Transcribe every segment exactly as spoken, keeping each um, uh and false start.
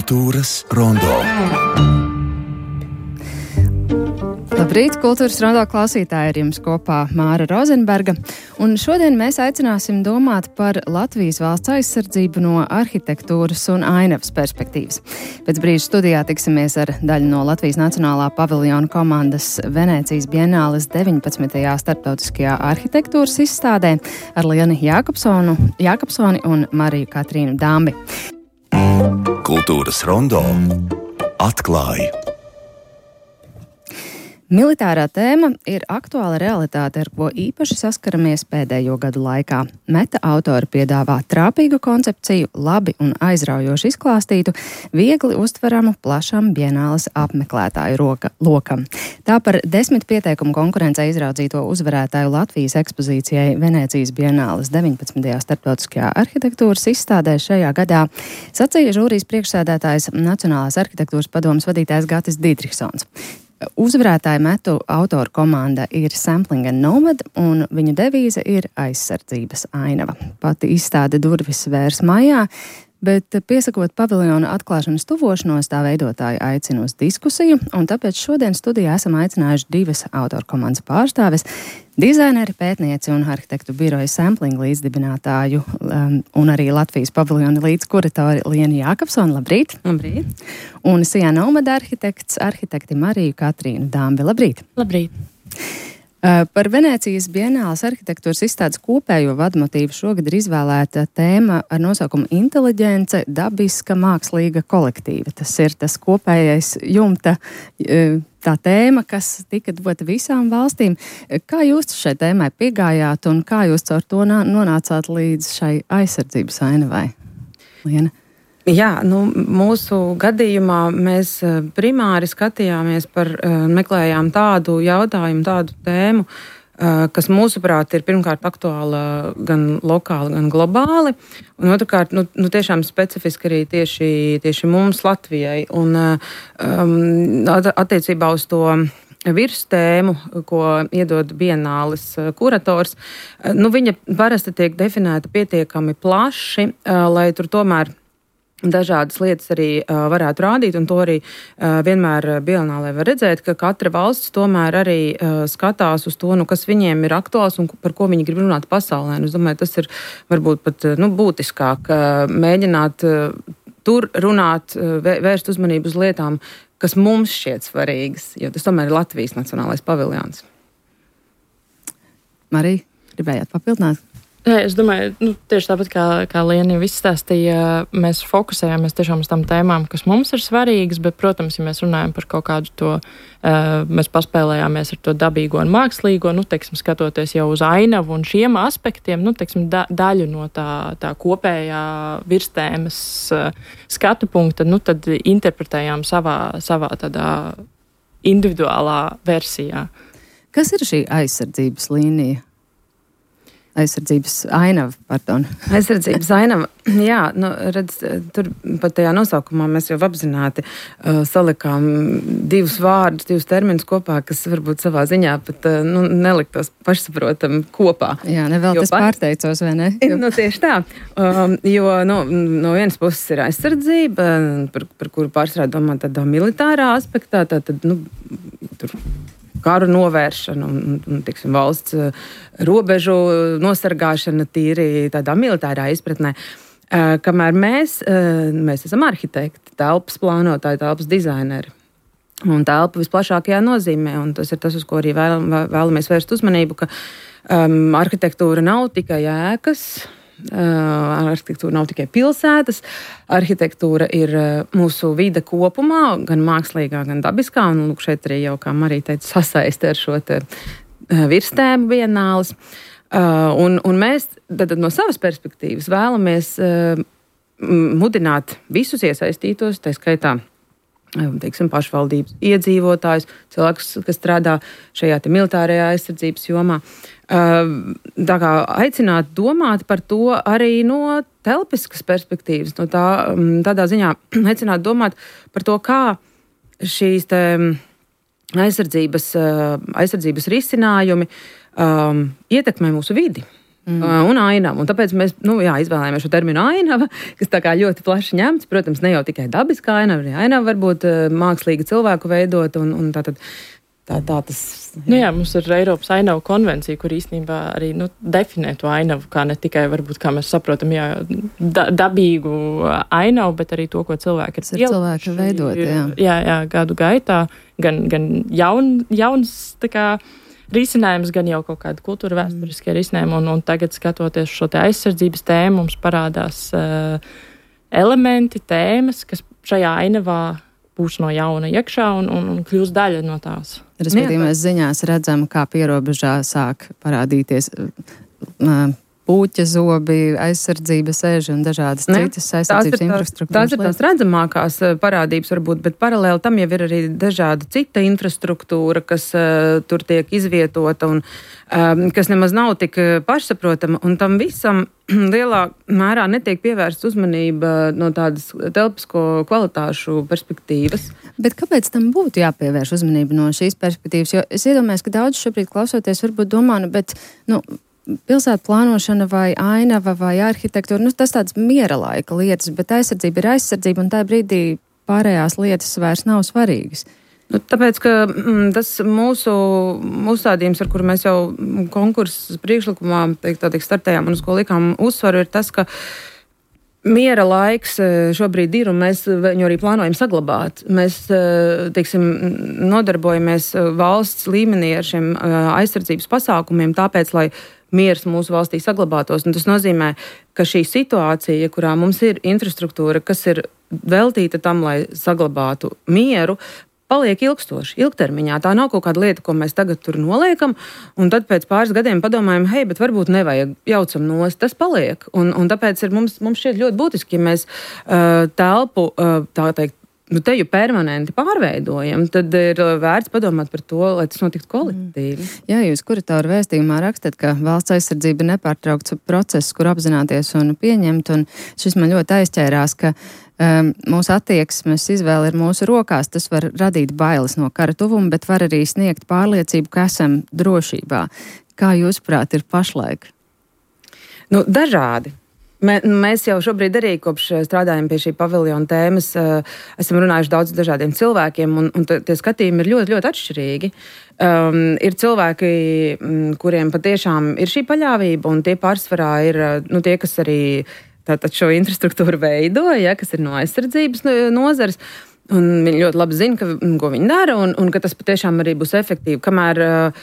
Kultūras rondo. Labrīt, Kultūras rondo klausītāji, ar jums kopā Māra Rozenberga. Un šodien mēs aicināsim domāt par Latvijas valsts aizsardzību no arhitektūras un ainavas perspektīvas. Pēc brīža studijā tiksimies ar daļu no Latvijas Nacionālā paviljona komandas Venēcijas Bienāles deviņpadsmitajā starptautiskajā arhitektūras izstādē ar Lienu Jākapsonu, Jākapsoni un Mariju Katrīnu Dambi. Kultūras rondo atklāja. Militārā tēma ir aktuāla realitāte, ar ko īpaši saskaramies pēdējo gadu laikā. Meta autori piedāvā trāpīgu koncepciju, labi un aizraujoši izklāstītu, viegli uztveramu plašam bienāles apmeklētāju roka, lokam. Tā par desmit pieteikumu konkurencē izraudzīto uzvarētāju Latvijas ekspozīcijai Venēcijas Bienāles deviņpadsmitajā starptautiskajā arhitektūras izstādē šajā gadā sacīja žūrijas priekšsēdētājs Nacionālās arhitektūras padomes vadītājs Gatis Dītriksons. Uzvarētāju metu autoru komanda ir Sampling and Nomad, un viņu devīze ir aizsardzības ainava. Pati izstāde durvis vērs maijā, bet piesakot paviljona atklāšanas tuvošanos, tā veidotāji aicina uz diskusiju, un tāpēc šodien studijā esam aicinājuši divas autoru komandas pārstāves, dizaineri, pētnieci un arhitektu biroja Sampling līdzdibinātāju um, un arī Latvijas paviljona līdzkuratori Lienu Jākapsoni. Labrīt! Labrīt! Un Sijā Nomad arhitekts, arhitekti Mariju Katrīnu Dambi. Labrīt! Labrīt! Uh, par Venēcijas Bienāles arhitektūras izstādes kopējo vadmotīvu šogad ir izvēlēta tēma ar nosaukumu Inteliģence, dabiska, mākslīga kolektīva. Tas ir tas kopējais jumta uh, tā tēma, kas tika dota visām valstīm. Kā jūs šai tēmai piegājāt un kā jūs caur to nonācāt līdz šai aizsardzības ainavai? Liena? Jā, nu, mūsu gadījumā mēs primāri skatījāmies par, meklējām tādu jautājumu, tādu tēmu, kas mūsuprāt ir pirmkārt aktuāla gan lokāli, gan globāli, un otrkārt, nu, nu tiešām specifiski arī tieši, tieši mums Latvijai. Un um, attiecībā uz to virstēmu, ko iedod Bienāles kurators, nu, viņa parasti tiek definēta pietiekami plaši, lai tur tomēr dažādas lietas arī uh, varētu rādīt, un to arī uh, vienmēr Bienālē var redzēt, ka katra valsts tomēr arī uh, skatās uz to, nu, kas viņiem ir aktuāls un par ko viņi grib runāt pasaulē. Un es domāju, tas ir varbūt pat nu, būtiskāk uh, mēģināt uh, tur runāt, uh, vērst uzmanību uz lietām, kas mums šķiet svarīgas, jo tas tomēr ir Latvijas Nacionālais paviljons. Marija, gribējāt papildināt? Jā, es domāju, nu, tieši tāpat kā, kā Liena jau izstāstīja, mēs fokusējāmies tiešām uz tām tēmām, kas mums ir svarīgas, bet, protams, ja mēs runājam par kaut kādu to, uh, mēs paspēlējāmies ar to dabīgo un mākslīgo, nu, teiksim, skatoties jau uz ainavu un šiem aspektiem, nu, teiksim, da, daļu no tā, tā kopējā virstēmas uh, skatu punkta, nu, tad interpretējām savā, savā tādā individuālā versijā. Kas ir šī aizsardzības līnija? Aizsardzības ainava, pardon. Aizsardzības ainava, jā, nu, redz, tur pat tajā nosaukumā mēs jau apzināti uh, salikām divus vārdus, divus terminus kopā, kas varbūt savā ziņā pat uh, nu, neliktos pašsaprotam kopā. Jā, nevēl tas pat... pārteicos, vai ne? Jo... Nu, tieši tā, um, jo nu, no vienas puses ir aizsardzība, par, par kuru pārsvarā domā tādā militārā aspektā, tātad, nu, tur karu novēršana un, un, un tiksim, valsts robežu nosargāšana tīri tādā militārā izpratnē. Uh, kamēr mēs, uh, mēs esam arhitekti, telpas plānotāji, telpas dizaineri. Un telpa visplašākajā nozīmē, un tas ir tas, uz ko arī vēl, vēlamies vērst uzmanību, ka um, arhitektūra nav tikai ēkas, uh, arhitektūra nav tikai pilsētas, arhitektūra ir uh, mūsu vide kopumā, gan mākslīgā, gan dabiskā, un lūk, šeit arī jau, kā Marija teica, sasaiste ar šo te uh, virstēmu Bienāles. Uh, un, un mēs tad, no savas perspektīvas vēlamies uh, mudināt visus iesaistītos, tā skaitā teiksim, pašvaldības iedzīvotājus, cilvēkus, kas strādā šajā te militārajā aizsardzības jomā. Tā kā aicināt domāt par to arī no telpiskas perspektīvas, no tā, tādā ziņā aicināt domāt par to, kā šīs te aizsardzības, aizsardzības risinājumi um, ietekmē mūsu vidi. Mm. Un ainava. Un tāpēc mēs nu, jā, izvēlējāmies šo terminu ainava, kas tā kā ļoti plaši ņemts. Protams, ne jau tikai dabiskā ainava, arī ainava var būt mākslīga cilvēku veidot. Un, un tā, tad, tā, tā tas, jā. Nu jā, mums ir Eiropas ainavu konvencija, kur īstenībā arī nu, definē to ainavu, kā ne tikai, varbūt, kā mēs saprotam, jā, da, dabīgu ainavu, bet arī to, ko cilvēki ir cilvēki veidot. Jā, jā, jā gadu gaitā. Gan, gan jaun, jauns, tā kā, risinājums, gan jau kaut kādi kultūra vēsturiskie risinājumi, un, un tagad skatoties šo te aizsardzības tēmu, mums parādās uh, elementi, tēmas, kas šajā ainavā būs no jauna iekšā un, un, un kļūs daļa no tās. Respektīvi, mēs ziņās redzam, kā pierobežā sāk parādīties uh, puķa zobi, aizsardzības eži un dažādas ne, citas aizsardzības infrastruktūras. Tās ir tās redzamākās parādības varbūt, bet paralēli tam jau ir arī dažāda cita infrastruktūra, kas uh, tur tiek izvietota un um, kas nemaz nav tik pašsaprotama, un tam visam lielā mērā netiek pievērsta uzmanība no tādas telpisko kvalitāšu perspektīvas. Bet kāpēc tam būtu jāpievērš uzmanība no šīs perspektīvas? Jo es iedomājos, ka daudz šobrīd klausoties varbūt domā, nu, bet, nu, pilsētu plānošana vai ainava vai arhitektūra, nu, tas tāds miera laika lietas, bet aizsardzība ir aizsardzība, un tajā brīdī pārējās lietas vairs nav svarīgas. Nu, tāpēc, ka mm, tas mūsu uzstādījums, ar kuru mēs jau konkursu priekšlikumā teikt, tā teikt, startējām un uz ko likām uzsvaru, ir tas, ka miera laiks šobrīd ir, un mēs viņu arī plānojam saglabāt. Mēs, teiksim, nodarbojamies valsts līmenī ar šiem aizsardzības pasākumiem, tāpēc, lai miers mūsu valstī saglabātos. Un tas nozīmē, ka šī situācija, kurā mums ir infrastruktūra, kas ir veltīta tam, lai saglabātu mieru, paliek ilgstoši, ilgtermiņā. Tā nav kaut kāda lieta, ko mēs tagad tur noliekam, un tad pēc pāris gadiem padomājam, hei, bet varbūt nevajag, jaucam nost, tas paliek. Un, un tāpēc ir mums, mums šķiet ļoti būtiski, ja mēs uh, telpu, uh, tā teikt, nu, teju permanenti pārveidojam, tad ir vērts padomāt par to, lai tas notiktu kolektīvi. Jā, jūs kuratoru vēstījumā rakstat, ka valsts aizsardzība ir nepārtraukts process, kur apzināties un pieņemt, un šis man ļoti aizķērās, ka um, mūsu attieksmes izvēle ir mūsu rokās, tas var radīt bailes no kara tuvuma, bet var arī sniegt pārliecību, ka esam drošībā. Kā jūsuprāt ir pašlaik? Nu, dažādi. Mēs jau šobrīd arī kopš strādājam pie šī paviljona tēmas, esam runājuši daudz dažādiem cilvēkiem, un, un tie skatījumi ir ļoti, ļoti atšķirīgi. Um, ir cilvēki, kuriem patiešām ir šī paļāvība, un tie pārsvarā ir nu, tie, kas arī tātad šo infrastruktūru veido, ja, kas ir no aizsardzības nozares. Un viņi ļoti labi zina, ka, ko viņi dara, un, un ka tas patiešām arī būs efektīvi. Kamēr uh,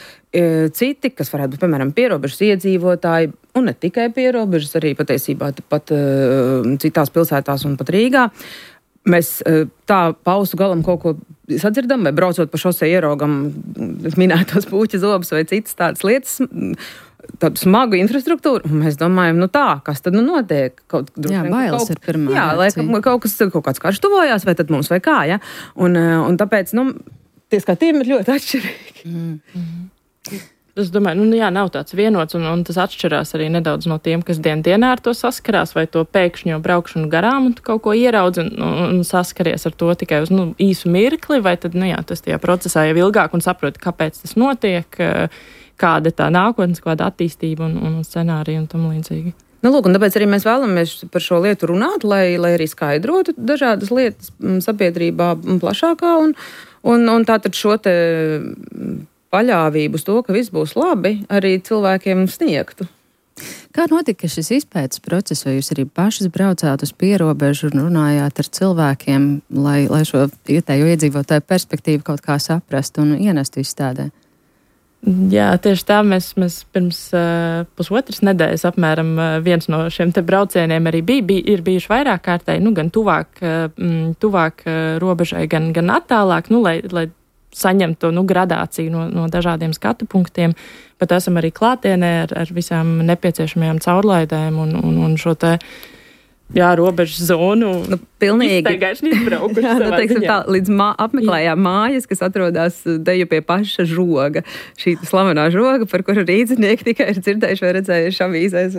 citi, kas varētu būt, piemēram, pierobežas iedzīvotāji, un ne tikai pierobežas, arī patiesībā pat uh, citās pilsētās un pat Rīgā, mēs uh, tā pausu galam kaut ko sadzirdam, vai braucot pa šosei ieraugam minētos puķa zobus vai citas tādas lietas, tādu smagu infrastruktūru, un mēs domājam, nu tā, kas tad nu notiek? Kaut, jā, bailes kaut, ir pirmā. Jā, lai kaut, kas, kaut kāds karš tuvojās, vai tad mums vai kā, ja? Un, un tāpēc, nu, tie skatījumi ir ļoti atšķirīgi. Mm. Es domāju, nu jā, nav tāds vienots, un, un tas atšķirās arī nedaudz no tiem, kas dien dienā ar to saskarās, vai to pēkšņo braukšanu garām un kaut ko ieraudz un, un saskaries ar to tikai uz nu, īsu mirkli, vai tad, nu jā, tas tajā procesā jau ilgāk un saproti, kāpēc tas notiek, kāda tā nākotnes, kāda attīstība un, un scenārija un tam līdzīgi. Nu, lūk, un tāpēc arī mēs vēlamies par šo lietu runāt, lai, lai arī skaidrotu dažādas lietas sabiedrībā plašākā un, un, un tātad šo te paļāvību uz to, ka viss būs labi, arī cilvēkiem sniegtu. Kā notika šis izpētes process, vai jūs arī pašas braucāt uz pierobežu un runājāt ar cilvēkiem, lai, lai šo vietējo iedzīvotāju perspektīvu kaut kā saprastu un ienestu izstādē? Jā, tieši tā mēs, mēs pirms uh, pusotras nedēļas apmēram uh, viens no šiem te braucieniem arī bija, bija ir bijuši vairāk kārtēji, nu gan tuvāk, uh, tuvāk uh, robežai, gan, gan attālāk, nu, lai, lai saņemtu to nu, gradāciju no, no dažādiem skatu punktiem, bet esam arī klātienē ar, ar visām nepieciešamajām caurlaidēm un, un, un šo te jā, robežu zonu. Nu, pilnīgi. Iztaigājuši izbraukuši. Jā, nu, teiksim tā, līdz mā, apmeklējām mājas, kas atrodas deju pie paša žoga. Šī slavenā žoga, par kuru rīdzinieki tikai ir dzirdējuši vai redzējuši avīzēs.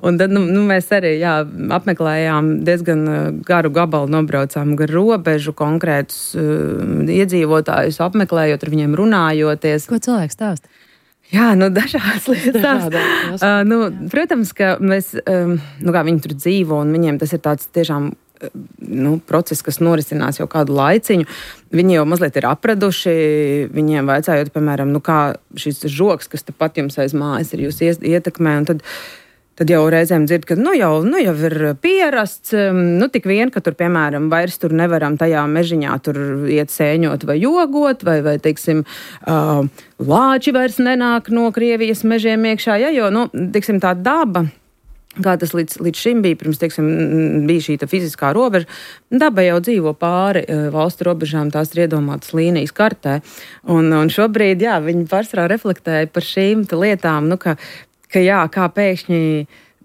Un tad, nu, nu mēs arī, jā, apmeklējām diezgan garu gabalu, nobraucām gar robežu, konkrētus uh, iedzīvotājus apmeklējot, ar viņiem runājoties. Ko cilvēks stāsta? Jā, nu dažādas lietas. uh, nu, protams, ka mēs, um, nu kā viņi tur dzīvo, un viņiem tas ir tāds tiešām nu, process, kas norisinās jau kādu laiciņu. Viņi jau mazliet ir apraduši, viņiem vajadzējot, piemēram, nu kā šis žoks, kas tepat jums aiz mājas ir jūs ietekmē, un tad, tad jau reizēm dzird, ka nu jau, nu jau ir pierasts, nu tik vien, ka tur, piemēram, vairs tur nevaram tajā mežiņā tur iet sēņot vai jogot, vai, vai teiksim, uh, lāči vairs nenāk no Krievijas mežiem iekšā, ja, jo, nu, teiksim, tā daba, kā tas līdz, līdz šim bija, pirms, teiksim, bija šī fiziskā robeža, daba jau dzīvo pāri valstu robežām, tās ir iedomātas līnijas kartē. Un, un šobrīd, jā, viņi pārsvarā reflektēja par šīm lietām, nu, ka, ka jā, kā pēkšņi,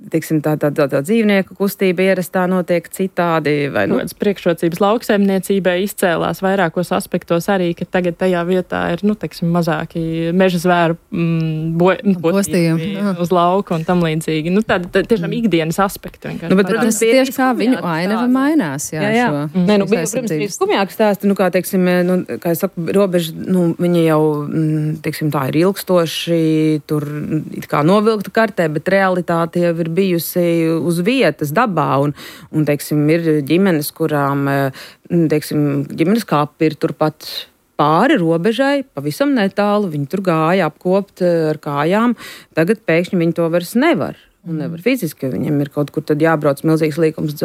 teiksim, tā, tā, tā, tā dzīvnieku kustība ierastā notiek citādi. Vai, nu, kādas priekšrocības lauksaimniecībai izcēlās vairākos aspektos arī, ka tagad tajā vietā ir, nu, teiksim, mazāki meža zvēru mm, bo, postījumi uz lauku un tam līdzīgi. Nu, tāda tā, tiešām ikdienas aspekti. Nu, bet, protams, tieši kā viņu ainava mainās. Jā, jā, jā. Šo, mm. Nē, nu, bija, protams, bija skumjāk stāsti, nu, kā, teiksim, nu, kā es saku, robeža, nu, viņi jau, teiksim, tā ir ilgstoši, tur it kā novilkta kartē, bet realitāte jau ir bijusi uz vietas dabā, un, un teiksim, ir ģimenes, kurām, teiksim, ģimenes kapi ir turpat pāri robežai, pavisam netālu, viņi tur gāja apkopt ar kājām, tagad pēkšņi viņi to vairs nevar. Un nevar fiziski, viņiem ir kaut kur tad jābrauc milzīgs līkums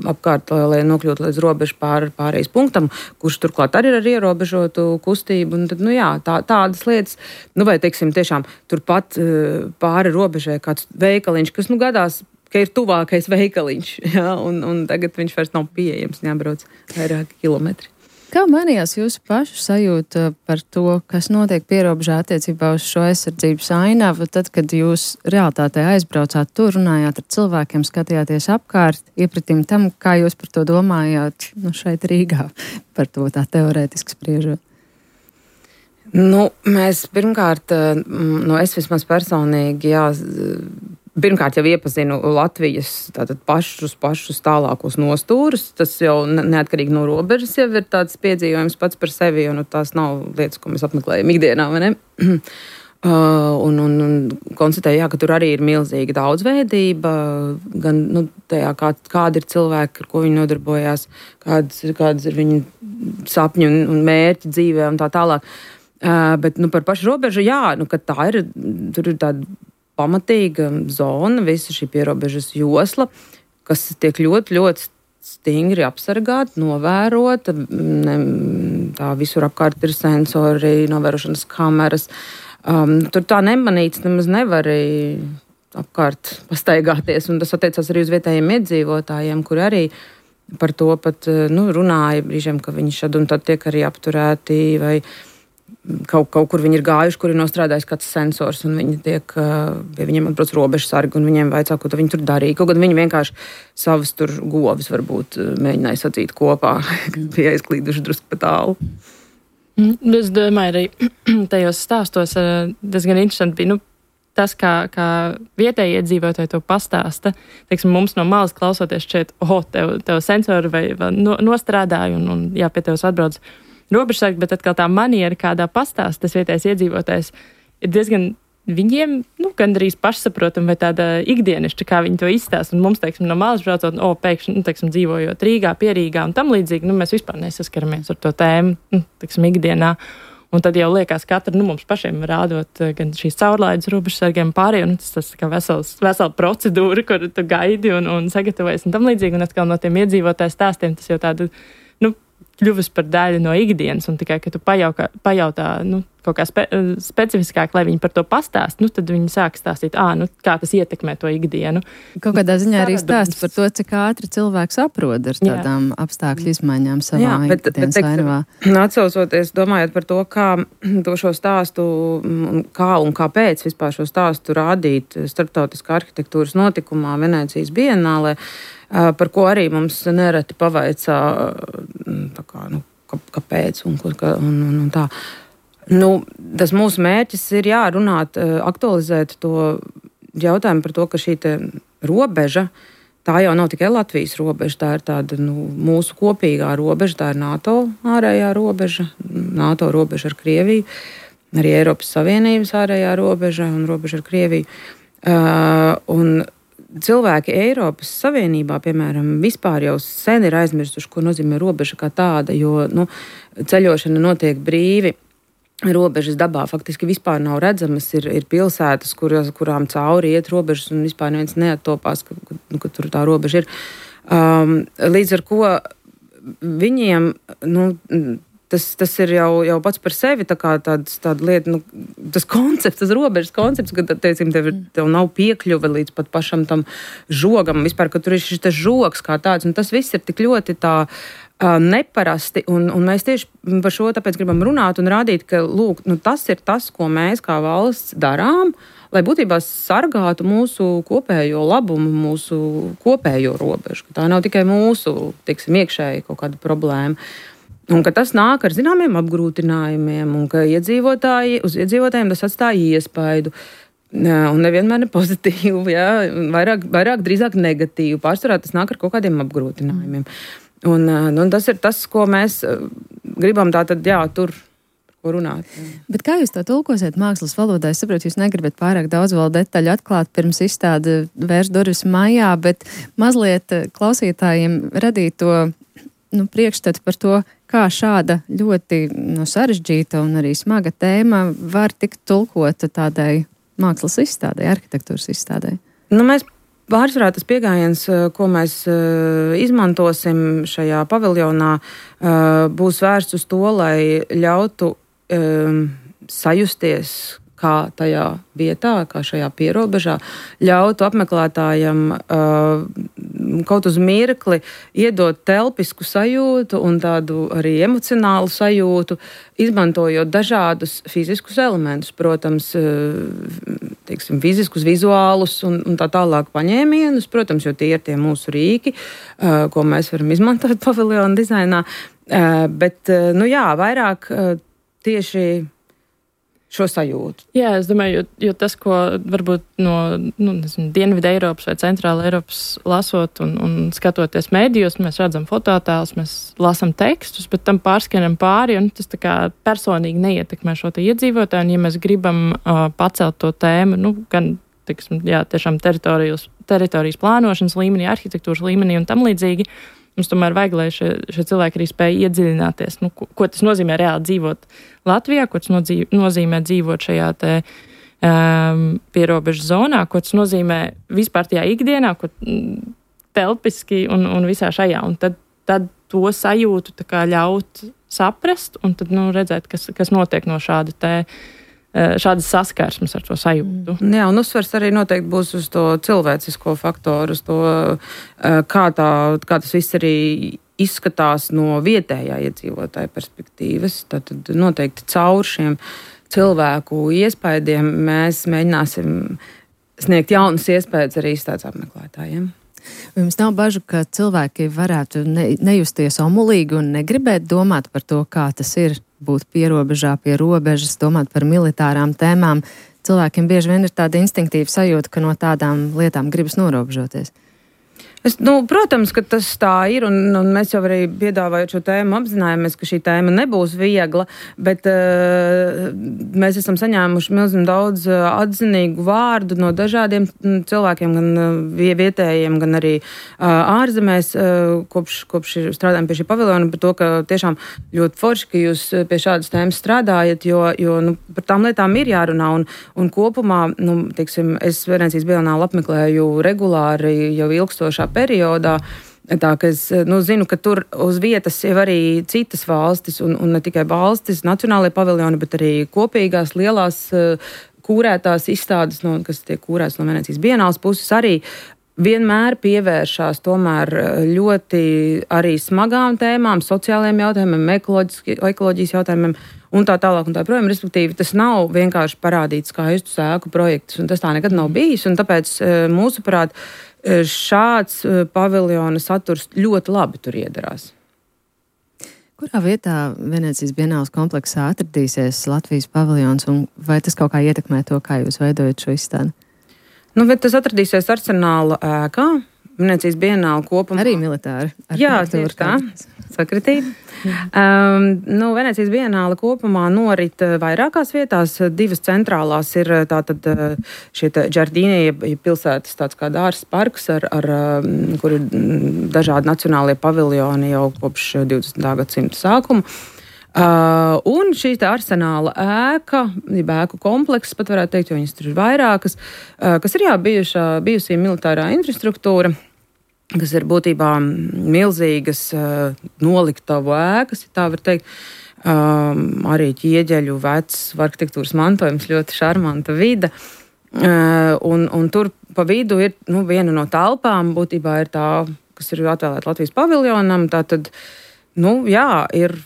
apkārt, lai nokļūtu līdz robežu pār, pārējais punktam, kurš turklāt arī ir ar ierobežotu kustību. Un tad, nu jā, tā, tādas lietas, nu vai, teiksim, tiešām turpat pāri robežai kāds veikaliņš, kas, nu, gadās, ka ir tuvākais veikaliņš, jā, un, un tagad viņš vairs nav pieejams, jābrauc vairāki kilometri. Kā mainījās jūsu pašu sajūta par to, kas notiek pierobežā attiecībā uz šo aizsardzības ainavu, tad, kad jūs realitātē aizbraucāt tur, runājāt ar cilvēkiem, skatījāties apkārt, iepratīm tam, kā jūs par to domājāt, nu, šeit Rīgā, par to tā teorētiski spriežot? Nu, mēs pirmkārt, nu, es vismaz personīgi, jā, pirmkārt jau iepazinu Latvijas tātad pašus, pašus tālākos nostūrus. Tas jau neatkarīgi no robežas jau ir tāds piedzīvojums pats par sevi, jo nu, tās nav lietas, ko mēs apmeklējam ikdienā, vai ne? Uh, un, un, un konstatēju, jā, ka tur arī ir milzīga daudzveidība, gan nu, tajā, kā, kādi ir cilvēki, ar ko viņi nodarbojās, kādas, kādas ir viņu sapņi un, un mērķi dzīvē un tā tālāk. Uh, bet nu, par pašu robežu, jā, nu, ka tā ir, tur ir tāda pamatīga zona, visa šī pierobežas josla, kas tiek ļoti, ļoti stingri apsargāta, novērota. Ne, tā visur apkārt ir sensori, novērošanas kameras. Um, tur tā nemanīts nemaz nevar apkārt pastaigāties, un tas attiecās arī uz vietējiem iedzīvotājiem, kuri arī par to pat nu, runāja brīžiem, ka viņi šad un tad tiek arī apturēti vai Kaut, kaut kur viņi ir gājuši, kur ir nostrādājis kāds sensors, un viņi tiek, pie viņiem atbrauc robežsargi, un viņiem vajadzā, ko viņi tur darīja. Kaut gan viņi vienkārši savas tur govis varbūt mēģināja sacīt kopā, kas bija aizklīduši drusku pa tālu. Es domāju, arī tajos stāstos diezgan interesanti bija, nu, tas, kā, kā vietējie iedzīvotāji to pastāsta. Teiksim, mums no malas klausoties šeit, oh, tev, tev sensori vai, vai no, nostrādāja, un, un jā, pie tevs atbrauc robežsargi, bet atkal tā maniera, kādā pastāst tas vietējais iedzīvotājs, ir diezgan viņiem, nu, gandrīz pašsaprotam vai tāda ikdienišķa, kā viņi to izstāst. Un mums, teiksim, no malas braucot, o, pēkšņi, nu, teiksim, dzīvojot Rīgā, pie Rīgā un tam līdzīgi, nu, mēs vispār nesaskaramies ar to tēmu, nu, teiksim, ikdienā. Un tad jau liekas katru, nu, mums pašiem rādot gan šīs caurlaides robežsargiem pārējie, nu, tas, tas kā vesels, vesela procedūra, kur tu gaidi un, un sagatavojies un tam līdzīgi. Un atkal no tiem iedzīvotāju stāstiem tas jau tāda, nu, kļuvis par daļu no ikdienas, un tikai, ka tu pajaukā, pajautā, nu, kaut kā spe, specifiskāk, lai viņi par to pastāst, nu, tad viņi sāk stāstīt, ā, nu, kā tas ietekmē to ikdienu. Kaut kādā ziņā arī stāst par to, cik ātri cilvēks aprod ar tādām jā. apstākļu izmaiņām savā jā, bet, ikdienas ainavā. Atsaucoties, domājot par to, kā to šo stāstu, kā un kāpēc vispār šo stāstu rādīt starptautiskā arhitektūras notikumā Venēcijas bienālē, par ko arī mums nereti pavaicā, tā kā, nu, kāpēc un, un, un, un tā. Nu, tas mūsu mērķis ir jārunāt, aktualizēt to jautājumu par to, ka šī te robeža, tā jau nav tikai Latvijas robeža, tā ir tāda nu, mūsu kopīgā robeža, tā ir NATO ārējā robeža, NATO robeža ar Krieviju. arī Eiropas Savienības ārējā robeža un robeža ar Krieviju. Uh, un cilvēki Eiropas Savienībā, piemēram, vispār jau sen ir aizmirsuši, ko nozīmē robeža kā tāda, jo nu, ceļošana notiek brīvi. Robežas dabā faktiski vispār nav redzamas. Ir, ir pilsētas, kurās, kurām cauri iet robežas, un vispār neviens neattopās, ka, ka, ka tur tā robeža ir. Um, līdz ar ko viņiem, nu, tas, tas ir jau, jau pats par sevi tā kā tāds, tāda lieta, nu, tas koncepts, tas robežas koncepts, ka, teicim, tev, tev nav piekļuve līdz pat pašam tam žogam, vispār, ka tur ir šis žogs kā tāds, un tas viss ir tik ļoti tā neparasti, un, un mēs tieši par šo tāpēc gribam runāt un rādīt, ka lūk, nu, tas ir tas, ko mēs kā valsts darām, lai būtībā sargātu mūsu kopējo labumu, mūsu kopējo robežu. Tā nav tikai mūsu, teiksim, iekšēji kaut kāda problēma. Un ka tas nāk ar zināmiem apgrūtinājumiem, un ka iedzīvotāji, uz iedzīvotājiem tas atstāja iespaidu. Un nevienmēr ne pozitīvu, jā, vairāk, vairāk drīzāk negatīvu. Pārsvarā tas nāk ar kaut kādiem apgrūtinājumiem. Un, un tas ir tas, ko mēs gribam tātad, jā, tur ko runāt. Jā. Bet kā jūs to tulkosiet mākslas valodā? Es saprotu, jūs negribat pārāk daudz vēl detaļu atklāt pirms izstāde vērs durvis maijā, bet mazliet klausītājiem radīt to nu, priekšstatu par to, kā šāda ļoti nu, sarežģīta un arī smaga tēma var tikt tulkota tādai mākslas izstādē, arhitektūras izstādē. Nu, mēs pārsvarā tas pieejams, ko mēs izmantosim šajā paviljonā, būs vērsts uz to, lai ļautu sajusties kā tajā vietā, kā šajā pierobežā, ļautu apmeklētājam kaut uz mirkli iedot telpisku sajūtu un tādu arī emocionālu sajūtu, izmantojot dažādus fiziskus elementus, protams, teiksim, fiziskus, vizuālus un, un tā tālāk paņēmienus, protams, jo tie ir tie mūsu rīki, ko mēs varam izmantot paviljona dizainā, bet, nu jā, vairāk tieši šo sajūtu. Jā, es domāju, jo, jo tas, ko varbūt no nu, nezinu, Dienvidu Eiropas vai Centrāla Eiropas lasot un, un skatoties mēdījos, mēs redzam fototēlus, mēs lasam tekstus, bet tam pārskanam pāri, un tas tā kā personīgi neietekmē šo te iedzīvotāju, un ja mēs gribam uh, pacelt to tēmu, nu, gan, tiksim, jā, tiešām teritorijas, teritorijas plānošanas līmenī, arhitektūras līmenī un tam līdzīgi, mums tomēr vajag, lai šie, šie cilvēki arī spēj iedziļināties, nu, ko, ko tas nozīmē reāli dzīvot Latvijā, ko tas nodzīv, nozīmē dzīvot šajā te um, pierobežas zonā, ko tas nozīmē vispār tajā ikdienā, ko telpiski un, un visā šajā. Un tad, tad to sajūtu tā kā ļaut saprast un tad, nu, redzēt, kas, kas notiek no šāda te šādas saskarsmes ar to sajūtu. Jā, un uzsvers arī noteikti būs uz to cilvēcisko faktoru, uz to, kā, tā, kā tas viss arī izskatās no vietējā iedzīvotāja perspektīvas. Tad noteikti caur šiem cilvēku iespaidiem mēs mēģināsim sniegt jaunas iespējas arī izstādes apmeklētājiem. Jums nav bažu, ka cilvēki varētu ne, nejusties omulīgi un negribēt domāt par to, kā tas ir būt pierobežā, pie robežas, domāt par militārām tēmām. Cilvēkiem bieži vien ir tāda instinktīva sajūta, ka no tādām lietām gribas norobežoties. Es, nu, protams, ka tas tā ir, un, un mēs jau arī piedāvājot šo tēmu apzinājāmies, ka šī tēma nebūs viegla, bet uh, mēs esam saņēmuši milzīgi daudz uh, atzinīgu vārdu no dažādiem cilvēkiem, gan uh, vietējiem, gan arī uh, ārzemēs, uh, kopš, kopš strādājam pie šī paviljona, par to, ka tiešām ļoti forši, ka jūs pie šādas tēmas strādājat, jo, jo nu, par tām lietām ir jārunā, un, un kopumā, nu, teiksim, es Venecijas bienālu apmeklēju regulāri jau ilgstošā periodā, tā ka es nu, zinu, ka tur uz vietas jau arī citas valstis, un, un ne tikai valstis, nacionālajie paviljoni, bet arī kopīgās lielās kūrētās izstādes, no, kas tiek kūrētas no Venecijas bienāles puses, arī vienmēr pievēršās tomēr ļoti arī smagām tēmām, sociālajiem jautājumiem, ekoloģijas jautājumiem un tā tālāk un tā projām. Respektīvi, tas nav vienkārši parādīt skaistu sēku projektus, un tas tā nekad nav bijis, un tāpēc mūsuprāt šāds paviljona saturs ļoti labi tur iedarās. Kurā vietā Venecijas bienāles kompleksā atradīsies Latvijas paviljons, un vai tas kaut kā ietekmē to, kā jūs veidojat šo izstādi? Nu, bet tas atradīsies Arsenāla ēkā. Venecijas bienāle kopumā. Arī militāri. Jā, tieši tā. sakritība. Um, nu, Venecijas bienāle kopumā norit vairākās vietās. Divas centrālās ir tātad šie Džardīnie, ja pilsētas tāds kā dārzs parks, ar, ar, kur ir dažādi nacionālie paviljoni jau kopš divdesmitā gadsimta sākuma. Uh, un šī tā arsenāla ēka, ēku komplekss, pat varētu teikt, jo viņas tur ir vairākas, uh, kas ir jā, bijušā, bijusī militārā infrastruktūra, kas ir būtībā milzīgas uh, noliktavu ēkas, ja tā var teikt, um, arī ķieģeļu vecs arhitektūras mantojums, ļoti šarmanta vide. Uh, un, un tur pa vidu ir nu, viena no telpām, būtībā ir tā, kas ir atvēlēta Latvijas paviljonam, tā tad, nu jā, ir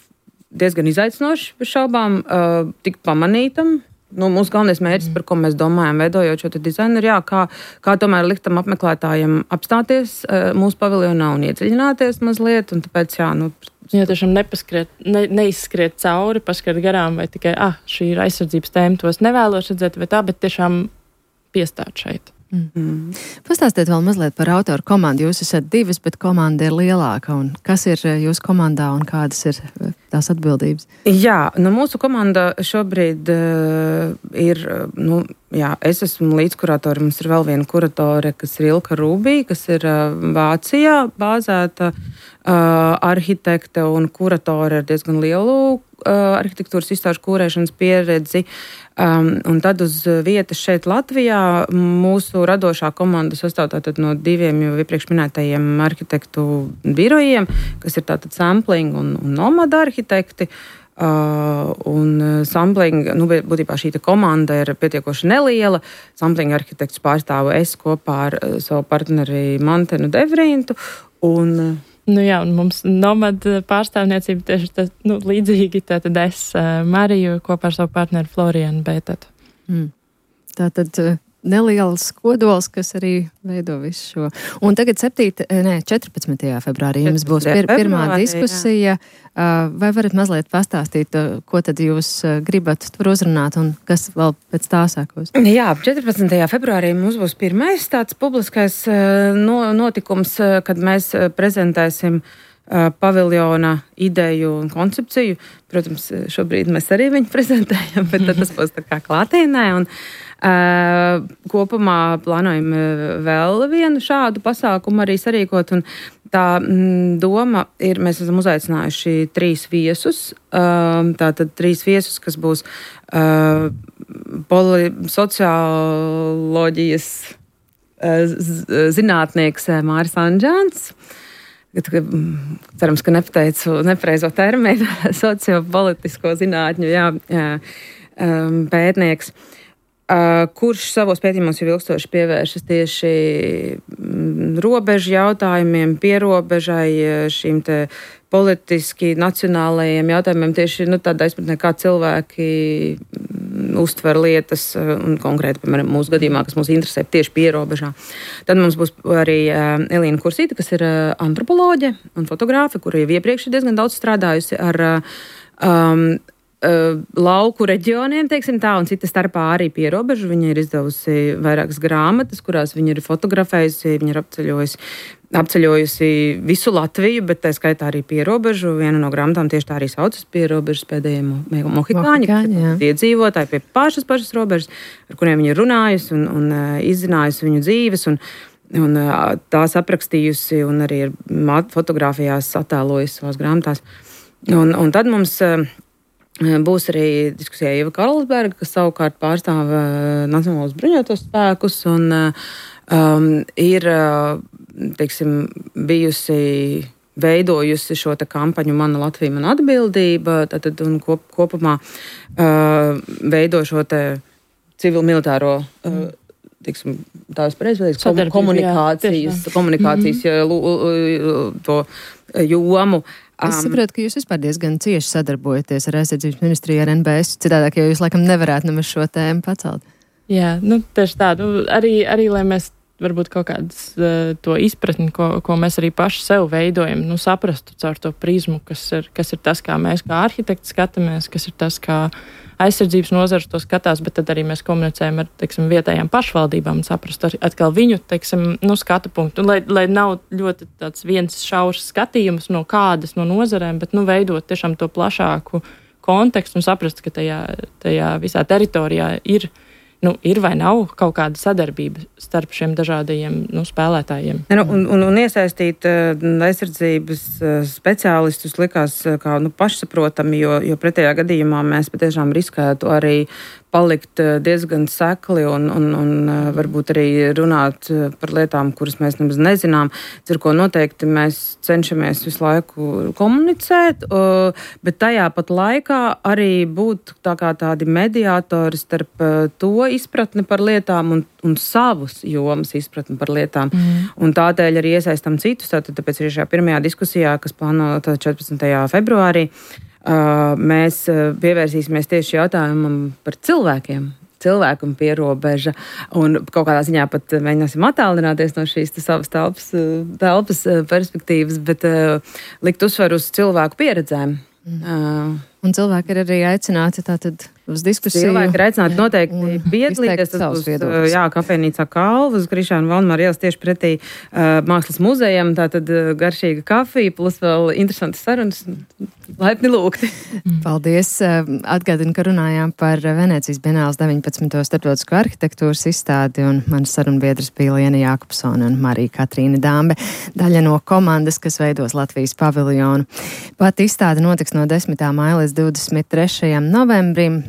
diezgan izaicinoši, bez šaubām, uh, tik pamanītam. Nu, mūsu galvenais mērķis, par ko mēs domājam, veidojot šo dizainu, ir jā, kā, kā tomēr likt tam apmeklētājiem apstāties uh, mūsu paviljonā un iedziļināties mazliet, un tāpēc, jā, nu... Jā, tiešām nepaskriet, ne, neizskriet cauri, paskriet garām, vai tikai, ah, šī ir aizsardzības tēma, tos nevēlos redzēt, vai tā, bet tiešām piestāt šeit. Mm. Mm. Pastāstiet vēl mazliet par autoru komandu. Jūs esat divas, bet komanda ir lielāka. Un kas ir jūsu komandā un kādas ir tās atbildības? Jā, nu mūsu komanda šobrīd uh, ir, nu, jā, es esmu līdzkuratori, mums ir vēl viena kuratore, kas ir Ilka Rūbī, kas ir uh, Vācijā bāzēta uh, arhitekte un kuratore ar diezgan lielu uh, arhitektūras izstāžu kūrēšanas pieredzi. Um, un tad uz vietas šeit Latvijā mūsu radošā komanda sastāv tātad no diviem jau iepriekš minētajiem arhitektu birojiem, kas ir tātad Sampling un, un Nomada arhitekti. Uh, un Sampling, nu, būtībā šī komanda ir pietiekoši neliela. Sampling arhitekts pārstāvu es kopā ar uh, savu partneri Mantenu Devrintu. Un, Nu jā, un mums nomada pārstāvniecība tieši tā, nu, līdzīgi, tātad es Mariju kopā ar savu partneri Florianu Bētatu. Mm. Tātad neliels kodols, kas arī veido visu šo. Un tagad septīta, ne, četrpadsmitajā februārī jums būs pir, pirmā diskusija. Jā. Vai varat mazliet pastāstīt, ko tad jūs gribat tur uzrunāt un kas vēl pēc tā sākos? Jā, četrpadsmitajā februārī mums būs pirmais tāds publiskais notikums, kad mēs prezentēsim paviljona ideju un koncepciju. Protams, šobrīd mēs arī viņu prezentējam, bet tad tas būs tā kā klātienē. Un Uh, kopumā plānojam vēl vienu šādu pasākumu arī sarīkot, un tā mm, doma ir, mēs esam uzaicinājuši trīs viesus, uh, tātad trīs viesus, kas būs uh, poli, socioloģijas uh, zinātnieks Māris Anžāns, cerams, ka nepateicu nepareizo terminu, sociopolitisko zinātņu jā, jā, um, pētnieks. Uh, kurš savos pētījumos jau ilgstoši pievēršas tieši mm, robežu jautājumiem, pierobežai, šīm te politiski nacionālajiem jautājumiem, tieši nu, tādā izpratnē, kā cilvēki mm, uztver lietas, un konkrēti, piemēram, mūsu gadījumā, kas mūs interesē tieši pierobežā. Tad mums būs arī uh, Elīna Kursīta, kas ir uh, antropoloģe un fotogrāfe, kura jau iepriekš ir diezgan daudz strādājusi ar uh, um, Uh, lauku reģioniem, teiksim tā, un cita starpā arī pierobežu. Viņa ir izdevusi vairākas grāmatas, kurās viņa ir fotografējusi, viņa ir apceļojusi, apceļojusi visu Latviju, bet tā skaitā arī pierobežu. Viena no grāmatām tieši tā arī saucas Pierobežas pēdējie mohikāņi, kas ir iedzīvotāji pie pašas pašas robežas, ar kuriem viņa ir runājusi un, un uh, izzinājusi viņu dzīves, un, un uh, tās aprakstījusi, un arī ir fotografijās attēlojusi savās grāmatās. Un, un tad mums uh, būs arī diskusijā Ieva Karlsberga, kas savukārt pārstāv uh, Nacionālos bruņotos spēkus un uh, um, ir, uh, teiksim, bijusi veidojusi šo te kampaņu Mana Latvija, mana atbildība, tātad un kop, kopumā uh, veido šo te civil-militāro uh, teiksim, tās pareizvēlēs komunikācijas, jā, komunikācijas mm-hmm. to jomu. Es saprotu, ka jūs vispār diezgan cieši sadarbojaties ar aizsardzības ministriju, ar N B S, citādāk, jo jūs laikam nevarētu nemaz šo tēmu pacelt. Jā, nu tieši tā, nu, arī, arī, lai mēs varbūt kaut kādas uh, to izpratni, ko, ko mēs arī paši sev veidojam, nu, saprastu caur to prizmu, kas ir, kas ir tas, kā mēs kā arhitekti skatāmies, kas ir tas, kā aizsardzības nozars to skatās, bet tad arī mēs komunicējam ar, teiksim, vietējām pašvaldībām un saprastu atkal viņu, teiksim, nu, skatu punktu. Un, lai, lai nav ļoti tāds viens šaurs skatījums no kādas no nozarēm, bet, nu, veidot tiešām to plašāku kontekstu un saprast, ka tajā, tajā visā teritorijā ir, nu, ir vai nav kaut kāda sadarbība starp šiem dažādajiem, nu, spēlētājiem. Ne, nu, un, un, un iesaistīt uh, aizsardzības uh, speciālistus likās uh, kā, nu, pašsaprotami, jo, jo pretējā gadījumā mēs patiešām riskētu arī palikt diezgan sekli un, un, un varbūt arī runāt par lietām, kuras mēs nemaz nezinām. Ar ko noteikti mēs cenšamies visu laiku komunicēt, bet tajā pat laikā arī būt tā kā tādi mediātori starp to izpratni par lietām un, un savus jomas izpratni par lietām. Mm. Un tādēļ arī iesaistam citus, tātad tāpēc arī šajā pirmajā diskusijā, kas plānota četrpadsmitajā februārī, Uh, mēs uh, pievērsīsimies tieši jautājumam par cilvēkiem, cilvēku un pierobeža, un kaut kādā ziņā pat mēģināsim attālināties no šīs savas telpas, telpas perspektīvas, bet uh, likt uzsveru uz cilvēku pieredzēm. Mm. Uh, un cilvēki ir arī aicināti tātad uz diskusiju. Cilvēki ir aicināti noteikti piedalīties. Tas būs, jā, kafejnīcā Kalva uz Krišāna Valdemāra ielas tieši pretī uh, Mākslas muzejam, tātad uh, garšīga kafija, plus vēl interesantas sarunas. Laipni lūgti. Paldies. Atgādinu, ka runājām par Venēcijas Bienāles deviņpadsmito starptautisko arhitektūras izstādi, un manas sarunbiedras bija Liena Jākopsone un Marija Katrīna Dambe, daļa no komandas, kas veidos Latvijas paviljonu. Pat izstāde notiks no desmitā maija līdz divdesmit trešajam novembrim.